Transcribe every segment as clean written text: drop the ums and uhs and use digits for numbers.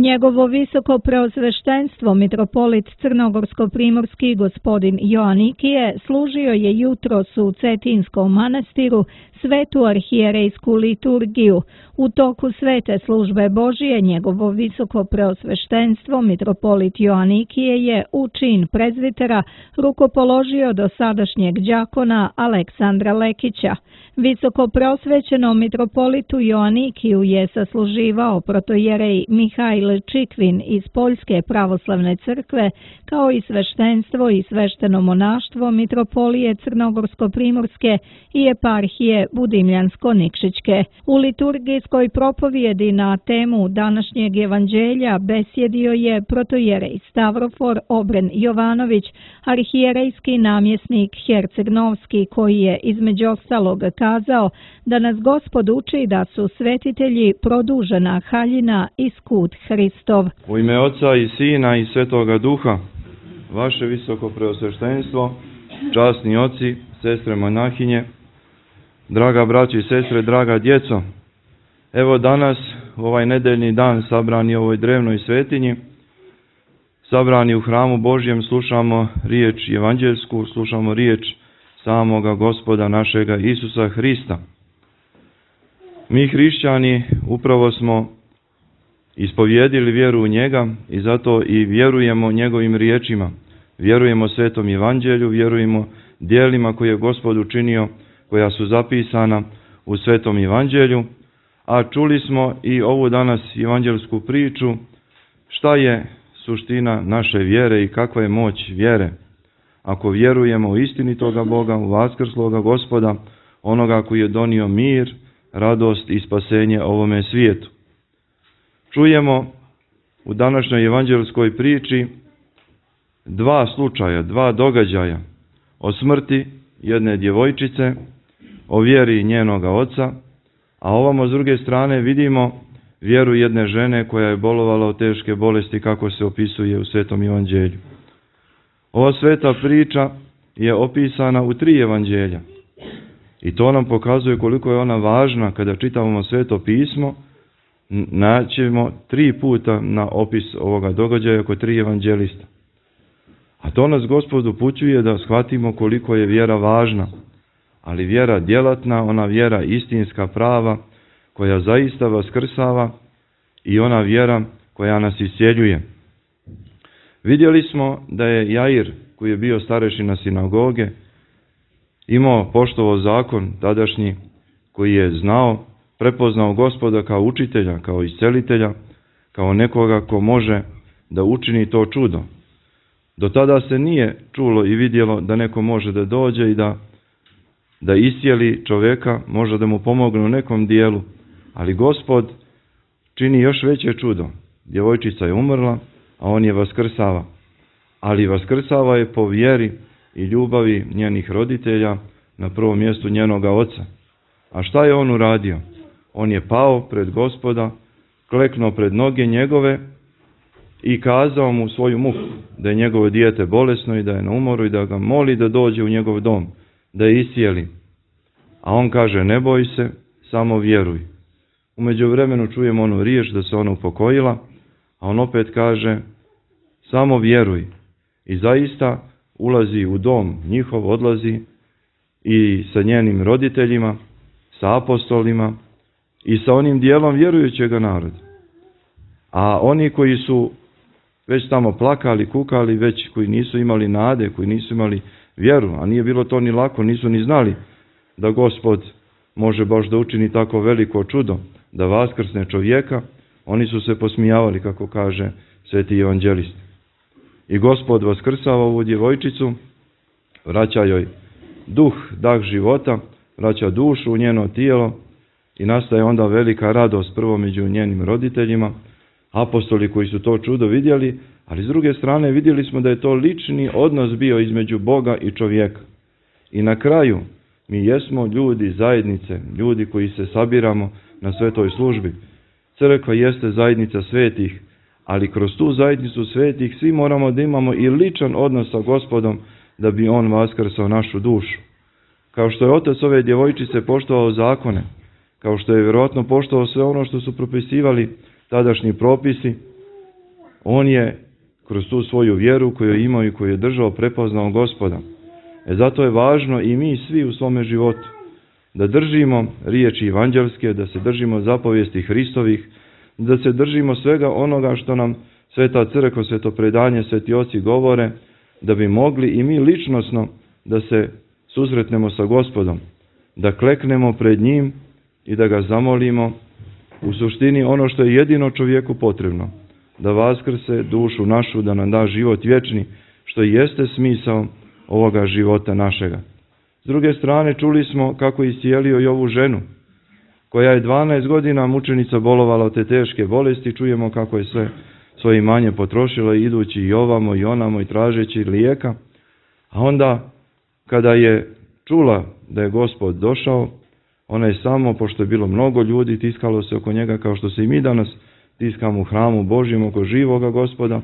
Njegovo visoko preosveštenstvo mitropolit Crnogorsko-primorski gospodin Joanikije služio je jutros u Cetinskom manastiru svetu arhijerejsku liturgiju. U toku svete službe Božije njegovo visoko preosveštenstvo mitropolit Joanikije je u čin prezvitera rukopoložio do sadašnjeg đakona Aleksandra Lekića. Visoko preosvećenom mitropolitu Joanikiju je sasluživao protojerej Mihajl Čikvin iz Poljske pravoslavne crkve, kao i sveštenstvo i svešteno monaštvo mitropolije Crnogorsko-primorske i eparhije Budimljansko-Nikšićke. U liturgijskoj propovjedi na temu današnjeg evanđelja besjedio je protojerej Stavrofor Obren Jovanović, arhijerejski namjesnik Herceg-Novski, koji je između ostalog kazao da nas Gospod uči da su svetitelji produžena haljina i skut Hristov. U ime Oca i Sina i Svetoga Duha, vaše visoko preosveštenstvo, časni oci, sestre monahinje, draga braćo i sestre, draga djeco, evo danas, ovaj nedeljni dan, sabrani u ovoj drevnoj svetinji, sabrani u hramu Božjem, slušamo riječ evanđelsku, slušamo riječ samoga Gospoda našega Isusa Hrista. Mi hrišćani upravo smo ispovjedili vjeru u njega i zato i vjerujemo njegovim riječima. Vjerujemo svetom evanđelju, vjerujemo djelima koje je Gospod učinio, koja su zapisana u svetom evanđelju, a čuli smo i ovu danas evanđelsku priču šta je suština naše vjere i kakva je moć vjere. Ako vjerujemo u istinitoga Boga, u vaskrsloga Gospoda, onoga koji je donio mir, radost i spasenje ovome svijetu. Čujemo u današnjoj evanđelskoj priči dva slučaja, dva događaja o smrti jedne djevojčice, o vjeri njenoga oca, a ovamo s druge strane vidimo vjeru jedne žene koja je bolovala od teške bolesti kako se opisuje u Svetom evanđelju. Ova sveta priča je opisana u 3 evanđelja i to nam pokazuje koliko je ona važna. Kada čitamo Sveto pismo, naćemo 3 puta na opis ovoga događaja kod 3 evanđelista. A to nas Gospod upućuje da shvatimo koliko je vjera važna, ali vjera djelatna, ona vjera istinska, prava, koja zaista vaskrsava i ona vjera koja nas iscijeljuje. Vidjeli smo da je Jair, koji je bio starešina sinagoge, imao poštovao zakon tadašnji, koji je znao, prepoznao Gospoda kao učitelja, kao iscelitelja, kao nekoga ko može da učini to čudo. Do tada se nije čulo i vidjelo da neko može da dođe i da iscijeli čovjeka, može da mu pomogne u nekom dijelu, ali Gospod čini još veće čudo. Djevojčica je umrla, a on je vaskrsava. Ali vaskrsava je po vjeri i ljubavi njenih roditelja, na prvom mjestu njenoga oca. A šta je on uradio? On je pao pred Gospoda, kleknuo pred noge njegove i kazao mu svoju muku, da je njegovo dijete bolesno i da je na umoru i da ga moli da dođe u njegov dom, da je iscijeli. A on kaže, ne boj se, samo vjeruj. U međuvremenu čujemo onu riječ da se ona upokojila, a on opet kaže, samo vjeruj. I zaista ulazi u dom njihov, odlazi i sa njenim roditeljima, sa apostolima i sa onim dijelom vjerujućega naroda. A oni koji su već tamo plakali, kukali, već koji nisu imali nade, koji nisu imali vjeru, a nije bilo to ni lako, nisu ni znali da Gospod može baš da učini tako veliko čudo, da vaskrsne čovjeka, oni su se posmijavali, kako kaže sveti evanđelist. I Gospod vaskrsava ovu djevojčicu, vraća joj duh, dah života, vraća dušu u njeno tijelo i nastaje onda velika radost prvo među njenim roditeljima, apostoli koji su to čudo vidjeli, ali s druge strane vidjeli smo da je to lični odnos bio između Boga i čovjeka. I na kraju mi jesmo ljudi zajednice, ljudi koji se sabiramo na svetoj službi. Crkva jeste zajednica svetih, ali kroz tu zajednicu svetih svi moramo da imamo i ličan odnos sa Gospodom da bi on vaskrsao našu dušu. Kao što je otac ove djevojčice poštovao zakone, kao što je vjerojatno poštovao sve ono što su propisivali tadašnji propisi, on je kroz tu svoju vjeru koju je imao i koju je držao prepoznao Gospoda. Zato je važno i mi svi u svome životu da držimo riječi evanđelske, da se držimo zapovijesti Hristovih, da se držimo svega onoga što nam Sveta Crkva, Sveto predanje, sveti oci govore, da bi mogli i mi ličnosno da se susretnemo sa Gospodom, da kleknemo pred njim i da ga zamolimo u suštini ono što je jedino čovjeku potrebno, da vaskrse dušu našu, da nam da život vječni, što jeste smisao ovoga života našega. S druge strane, čuli smo kako je iscijelio i ovu ženu, koja je 12 godina mučenica bolovala od te teške bolesti. Čujemo kako je sve svoje imanje potrošila, idući i ovamo i onamo i tražeći lijeka. A onda, kada je čula da je Gospod došao, ona je samo, pošto je bilo mnogo ljudi, tiskalo se oko njega kao što se i mi danas tiskamo u hramu Božjem oko živoga Gospoda.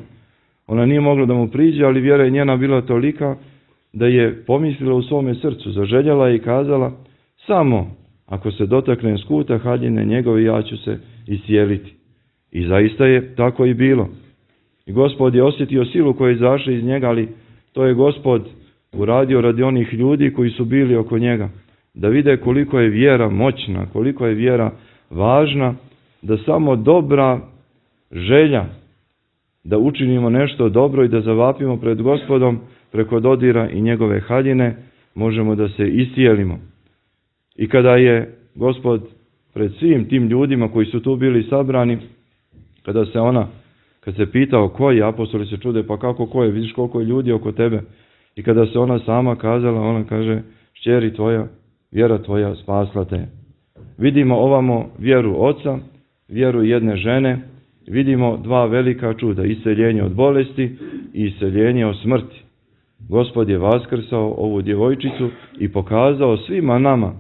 Ona nije mogla da mu priđe, ali vjera je njena bila tolika da je pomislila u svome srcu, zaželjela i kazala: samo ako se dotaknem skuta haljine njegove, ja ću se iscijeliti. I zaista je tako i bilo. I Gospod je osjetio silu koja je izašla iz njega, ali to je Gospod uradio radi onih ljudi koji su bili oko njega, da vide koliko je vjera moćna, koliko je vjera važna, da samo dobra želja da učinimo nešto dobro i da zavapimo pred Gospodom preko dodira i njegove haljine, možemo da se iscijelimo. I kada je Gospod pred svim tim ljudima koji su tu bili sabrani, kad se pitao ko je, apostoli se čude, pa kako ko je, vidiš koliko je ljudi oko tebe. I kada se ona sama kazala, ona kaže: kćeri tvoja, vjera tvoja spasla te. Vidimo ovamo vjeru oca, vjeru jedne žene, vidimo dva velika čuda, isceljenje od bolesti i isceljenje od smrti. Gospod je vaskrsao ovu djevojčicu i pokazao svima nama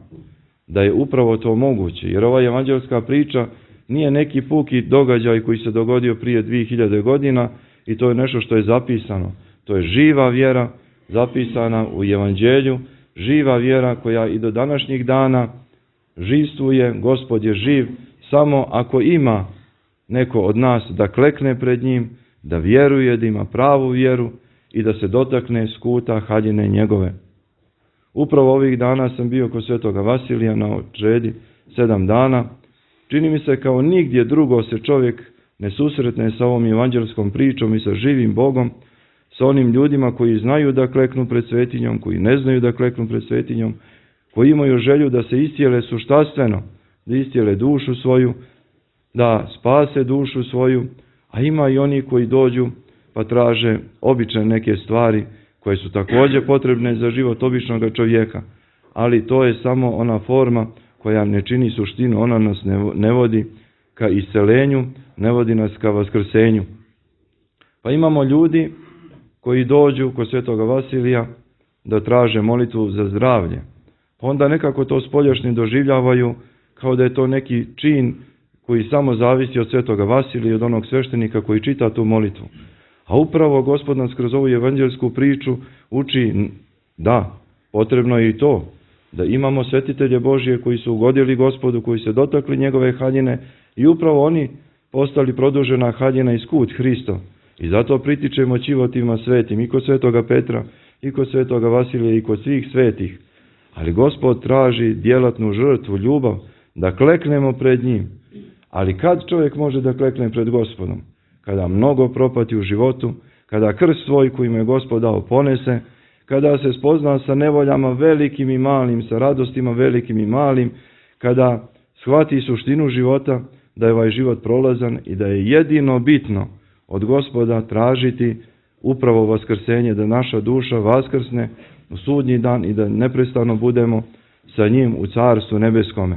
da je upravo to moguće, jer ova evanđelska priča nije neki puki događaj koji se dogodio prije 2000 godina i to je nešto što je zapisano. To je živa vjera zapisana u evanđelju, živa vjera koja i do današnjih dana živstvuje. Gospod je živ samo ako ima neko od nas da klekne pred njim, da vjeruje, da ima pravu vjeru i da se dotakne skuta haljine njegove. Upravo ovih dana sam bio kod svetoga Vasilija na očedi 7 dana. Čini mi se kao nigdje drugo se čovjek ne susretne sa ovom evanđelskom pričom i sa živim Bogom, sa onim ljudima koji znaju da kleknu pred svetinjom, koji ne znaju da kleknu pred svetinjom, koji imaju želju da se iscijele suštastveno, da iscijele dušu svoju, da spase dušu svoju, a ima i oni koji dođu pa traže obične neke stvari koje su također potrebne za život običnog čovjeka, ali to je samo ona forma koja ne čini suštinu, ona nas ne vodi ka iscelenju, ne vodi nas ka vaskrsenju. Pa imamo ljudi koji dođu kod svetoga Vasilija da traže molitvu za zdravlje. Pa onda nekako to spoljašnje doživljavaju kao da je to neki čin koji samo zavisi od svetoga Vasilija i od onog sveštenika koji čita tu molitvu. A upravo Gospod nas kroz ovu evanđelsku priču uči da potrebno je i to, da imamo svetitelje Božje koji su ugodili Gospodu, koji se dotakli njegove haljine i upravo oni postali produžena haljina i skut Hristo. I zato pritičemo čivotima svetim i kod svetoga Petra, i kod svetoga Vasilija, i kod svih svetih. Ali Gospod traži djelatnu žrtvu, ljubav, da kleknemo pred njim. Ali kad čovjek može da klekne pred Gospodom? Kada mnogo propati u životu, kada krst svoj koji mu je Gospod dao ponese, kada se spozna sa nevoljama velikim i malim, sa radostima velikim i malim, kada shvati suštinu života, da je ovaj život prolazan i da je jedino bitno od Gospoda tražiti upravo vaskrsenje, da naša duša vaskrsne u sudnji dan i da neprestano budemo sa njim u carstvu nebeskome.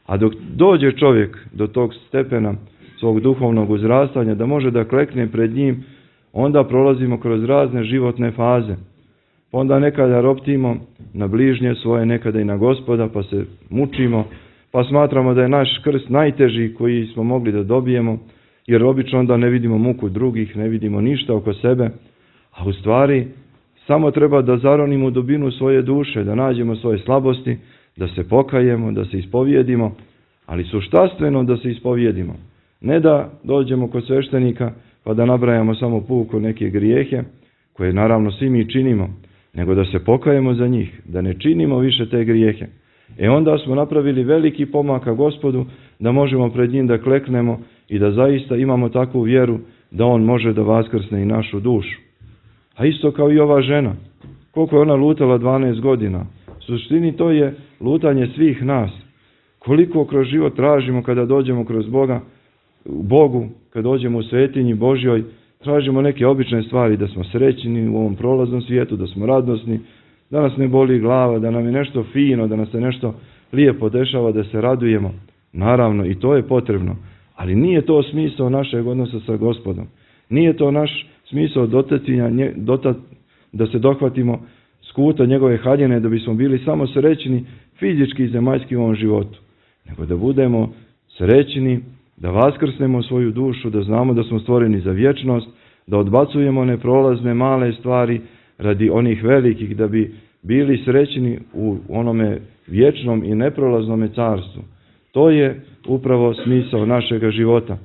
A dok dođe čovjek do tog stepena svog duhovnog uzrastanja, da može da klekne pred njim, onda prolazimo kroz razne životne faze. Pa onda nekada roptimo na bližnje svoje, nekada i na Gospoda, pa se mučimo, pa smatramo da je naš krst najteži koji smo mogli da dobijemo, jer obično onda ne vidimo muku drugih, ne vidimo ništa oko sebe, a u stvari samo treba da zaronimo u dubinu svoje duše, da nađemo svoje slabosti, da se pokajemo, da se ispovijedimo, ali suštastveno da se ispovijedimo. Ne da dođemo kod sveštenika pa da nabrajamo samo puko neke grijehe, koje naravno svi mi činimo, nego da se pokajemo za njih, da ne činimo više te grijehe. Onda smo napravili veliki pomak ka Gospodu, da možemo pred njim da kleknemo i da zaista imamo takvu vjeru da on može da vaskrsne i našu dušu. A isto kao i ova žena, koliko je ona lutala 12 godina, u suštini to je lutanje svih nas. Koliko kroz život tražimo kada dođemo kroz Bogu, kada dođemo u svetinji Božjoj, tražimo neke obične stvari, da smo srećni u ovom prolaznom svijetu, da smo radosni, da nas ne boli glava, da nam je nešto fino, da nas se nešto lijepo dešava, da se radujemo. Naravno, i to je potrebno, ali nije to smisao našeg odnosa sa Gospodom. Nije to naš smisao da se dohvatimo skuta njegove haljine, da bismo bili samo srećni fizički i zemaljski u ovom životu, nego da budemo srećni, da vaskrsnemo svoju dušu, da znamo da smo stvoreni za vječnost, da odbacujemo neprolazne male stvari radi onih velikih, da bi bili srećni u onome vječnom i neprolaznome carstvu. To je upravo smisao našega života.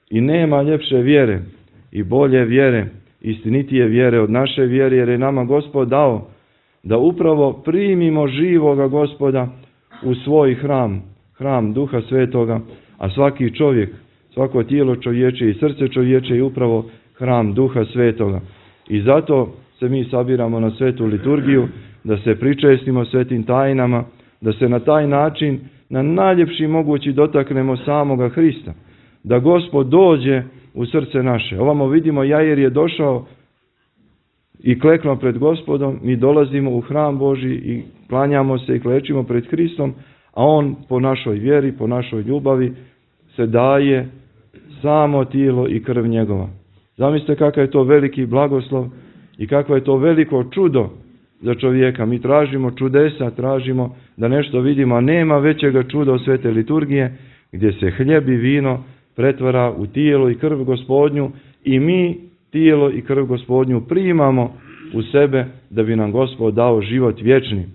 I nema ljepše vjere i bolje vjere, istinitije vjere od naše vjere, jer je nama Gospod dao da upravo primimo živoga Gospoda u svoj hram Duha Svetoga, a svaki čovjek, svako tijelo čovječe i srce čovječe je upravo hram Duha Svetoga. I zato se mi sabiramo na svetu liturgiju, da se pričestimo svetim tajnama, da se na taj način na najljepši mogući dotaknemo samoga Hrista, da Gospod dođe u srce naše. Ovamo vidimo, Jair je došao i kleknuo pred Gospodom, mi dolazimo u hram Božji i klanjamo se i klečimo pred Hristom, a on po našoj vjeri, po našoj ljubavi se daje samo tijelo i krv njegova. Zamislite kakav je to veliki blagoslov i kakvo je to veliko čudo za čovjeka. Mi tražimo čudesa, tražimo da nešto vidimo, a nema većega čuda od svete liturgije, gdje se hljeb i vino pretvara u tijelo i krv Gospodnju i mi tijelo i krv Gospodnju primamo u sebe da bi nam Gospod dao život vječni.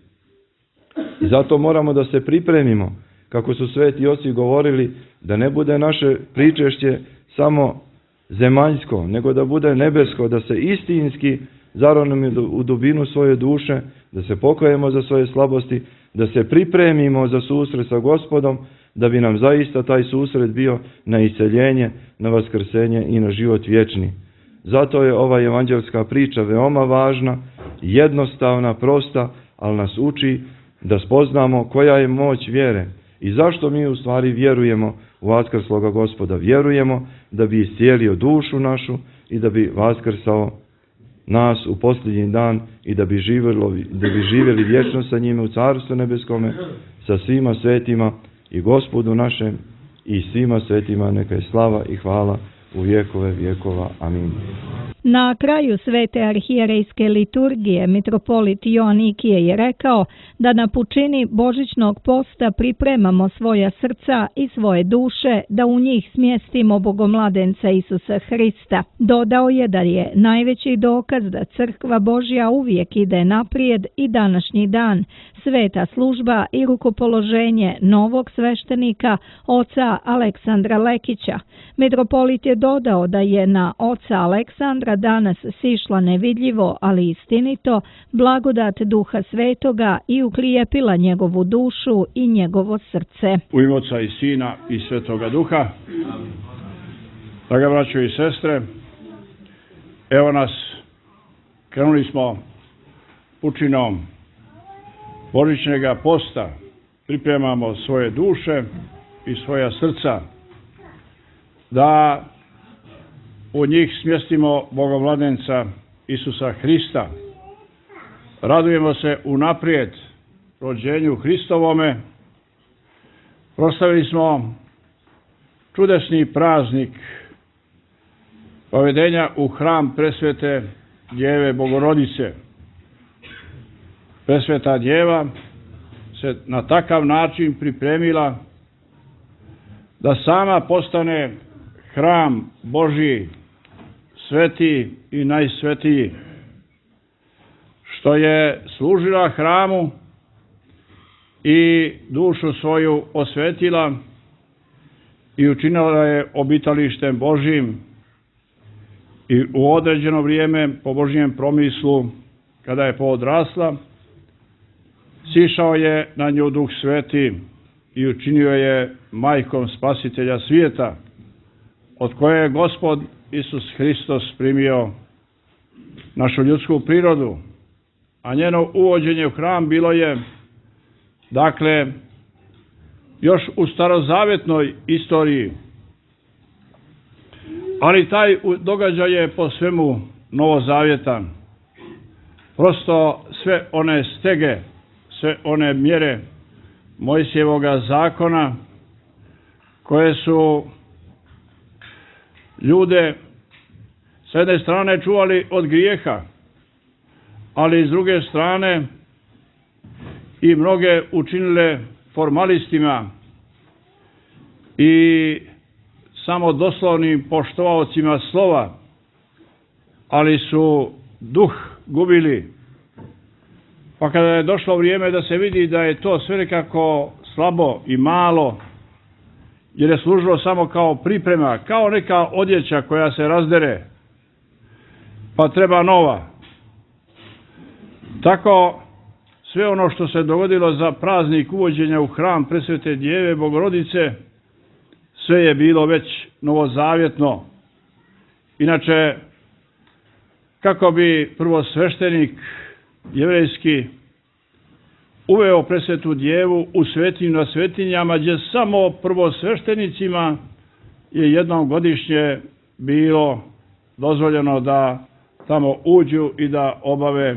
I zato moramo da se pripremimo, kako su sveti oci govorili, da ne bude naše pričešće samo zemaljsko, nego da bude nebesko, da se istinski zaronimo u dubinu svoje duše, da se pokajemo za svoje slabosti, da se pripremimo za susret sa Gospodom, da bi nam zaista taj susret bio na iseljenje, na vaskrsenje i na život vječni. Zato je ova evanđelska priča veoma važna, jednostavna, prosta, ali nas uči da spoznamo koja je moć vjere i zašto mi u stvari vjerujemo u vaskrsloga Gospoda. Vjerujemo da bi iscijelio dušu našu i da bi vaskrsao nas u posljednji dan i da bi živjeli vječno sa njime u Carstvu nebeskome, sa svima svetima i Gospodu našem i svima svetima neka je slava i hvala u vjekove vjekova. Amin. Na kraju svete arhijerejske liturgije mitropolit Joanikije je rekao da na pučini božićnog posta pripremamo svoja srca i svoje duše, da u njih smjestimo Bogomladenca Isusa Hrista. Dodao je da je najveći dokaz da Crkva Božja uvijek ide naprijed i današnji dan, sveta služba i rukopoloženje novog sveštenika, oca Aleksandra Lekića. Mitropolit je dodao da je na oca Aleksandra danas sišla nevidljivo, ali istinito, blagodat Duha Svetoga i uklijepila njegovu dušu i njegovo srce. U ime Oca i Sina i Svetoga Duha, draga braćo i sestre, evo nas, krenuli smo pučinom božićnega posta, pripremamo svoje duše i svoja srca, da u njih smjestimo Bogomladenca Isusa Hrista. Radujemo se unaprijed rođenju Hristovome. Proslavili smo čudesni praznik povedenja u hram presvete Djeve Bogorodice. Presveta Djeva se na takav način pripremila da sama postane hram Božji, sveti i najsvetiji, što je služila hramu i dušu svoju osvetila i učinila je obitalištem Božjim I u određeno vrijeme, po Božjem promislu, kada je poodrasla, sišao je na nju Duh Sveti i učinio je majkom Spasitelja svijeta, od koje je Gospod Isus Hristos primio našu ljudsku prirodu, a njeno uvođenje u hram bilo je, dakle, još u starozavjetnoj istoriji, ali taj događaj je po svemu novozavjetan. Prosto sve one stege, sve one mjere Mojsijevoga zakona koje su ljude s jedne strane čuvali od grijeha, ali s druge strane i mnoge učinile formalistima i samo doslovnim poštovaocima slova, ali su duh gubili. Pa kada je došlo vrijeme da se vidi da je to sve nekako slabo i malo, jer je služilo samo kao priprema, kao neka odjeća koja se razdere, pa treba nova. Tako sve ono što se dogodilo za praznik uvođenja u hram Presvete Djeve Bogorodice, sve je bilo već novozavjetno. Inače, kako bi prvosveštenik jevrejski uveo Presvetu Djevu u svetinju na svetinjama, gdje samo prvosveštenicima je jednom godišnje bilo dozvoljeno da tamo uđu i da obave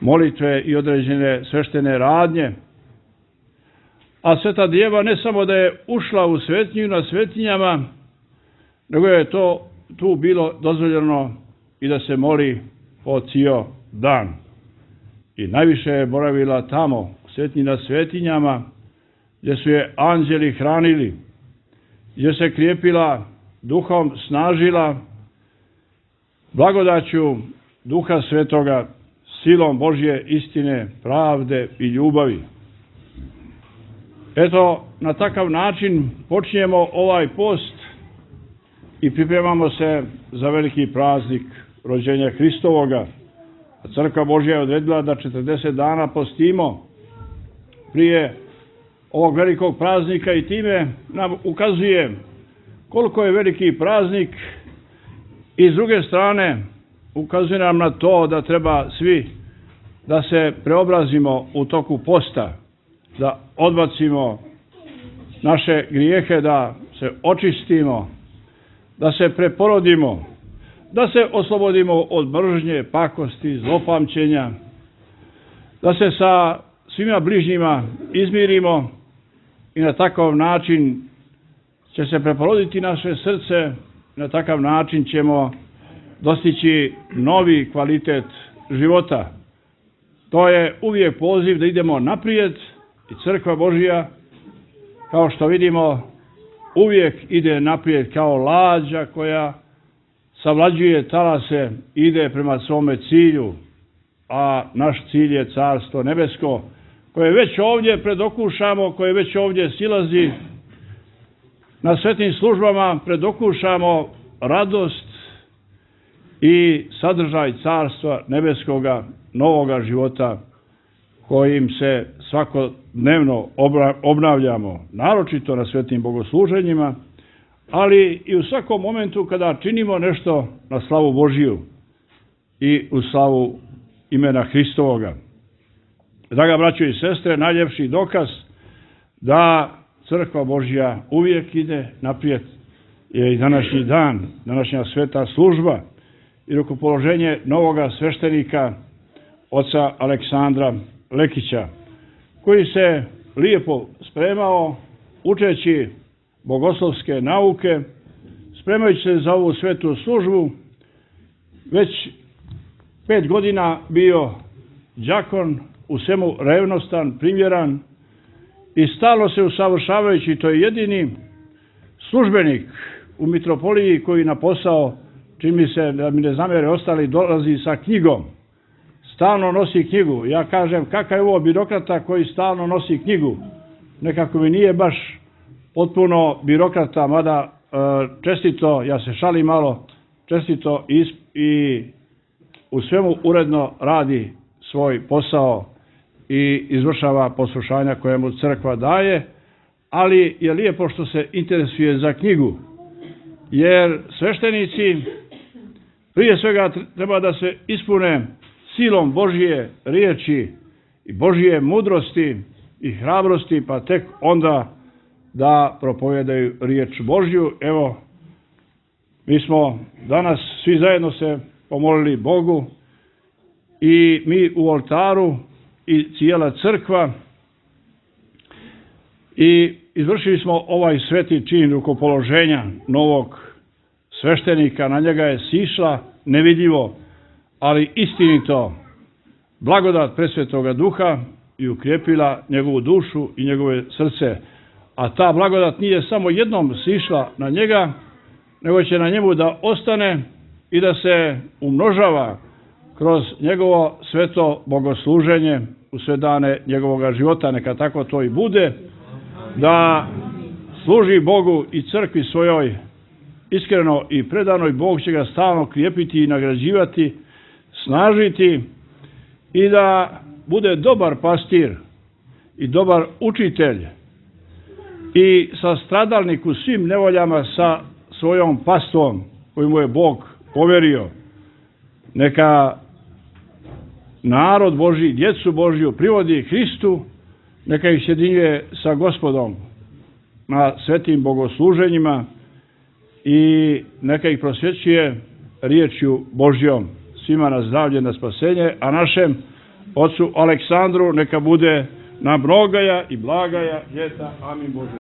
molitve i određene sveštene radnje. A Sveta Djeva ne samo da je ušla u svetinju na svetinjama, nego je to tu bilo dozvoljeno i da se moli po cijel dan. I najviše je boravila tamo, u svetinji na svetinjama, gdje su je anđeli hranili, gdje se krijepila duhom, snažila blagodaću Duha Svetoga, silom Božje istine, pravde i ljubavi. Eto, na takav način počinjemo ovaj post i pripremamo se za veliki praznik rođenja Hristovoga. A Crkva Božja je odredila da 40 dana postimo prije ovog velikog praznika i time nam ukazuje koliko je veliki praznik i s druge strane ukazuje nam na to da treba svi da se preobrazimo u toku posta, da odbacimo naše grijehe, da se očistimo, da se preporodimo, da se oslobodimo od mržnje, pakosti, zlopamćenja, da se sa svima bližnjima izmirimo i na takav način će se preporoditi naše srce, na takav način ćemo dostići novi kvalitet života. To je uvijek poziv da idemo naprijed i Crkva Božja, kao što vidimo, uvijek ide naprijed kao lađa koja savlađuje talase, ide prema svome cilju, a naš cilj je Carstvo nebesko, koje već ovdje predokušamo, koje već ovdje silazi. Na svetim službama predokušamo radost i sadržaj Carstva nebeskoga, novoga života kojim se svakodnevno obnavljamo, naročito na svetim bogosluženjima, ali i u svakom momentu kada činimo nešto na slavu Božiju i u slavu imena Hristovoga. Draga braćo i sestre, najljepši dokaz da Crkva Božja uvijek ide naprijed je i današnji dan, današnja sveta služba i rukopoloženje novoga sveštenika, oca Aleksandra Lekića, koji se lijepo spremao učeći bogoslovske nauke, spremajući se za ovu svetu službu, već 5 godina bio đakon, u svemu revnostan, primjeran i stalno se usavršavajući. To je jedini službenik u mitropoliji koji na posao, čini mi se da mi ne zamjere ostali, dolazi sa knjigom. Stalno nosi knjigu. Ja kažem, kakav je ovo birokrata koji stalno nosi knjigu? Nekako mi nije baš potpuno birokrata, mada čestito, ja se šalim malo, čestito i u svemu uredno radi svoj posao i izvršava poslušanja koje mu crkva daje, ali je lijepo što se interesuje za knjigu, jer sveštenici prije svega treba da se ispune silom Božje riječi i Božje mudrosti i hrabrosti, pa tek onda da propovedaju riječ Božju. Evo, mi smo danas svi zajedno se pomolili Bogu i mi u oltaru i cijela crkva i izvršili smo ovaj sveti čin rukopoloženja novog sveštenika. Na njega je sišla nevidljivo, ali istinito blagodat presvetoga duha i ukrijepila njegovu dušu i njegove srce. A ta blagodat nije samo jednom sišla na njega, nego će na njemu da ostane i da se umnožava kroz njegovo sveto bogosluženje u sve dane njegovog života. Neka tako to i bude, da služi Bogu i crkvi svojoj iskreno i predano, i Bog će ga stalno krijepiti i nagrađivati, snažiti, i da bude dobar pastir i dobar učitelj i sastradalnik u svim nevoljama sa svojom pastvom koju mu je Bog poverio. Neka narod Božji, djecu Božju privodi Hristu, neka ih sjedinjuje sa Gospodom na svetim bogosluženjima i neka ih prosvjećuje riječju Božjom. Svima na zdravlje, na spasenje, a našem ocu Aleksandru neka bude na mnogaja i blagaja ljeta. Amin Bože.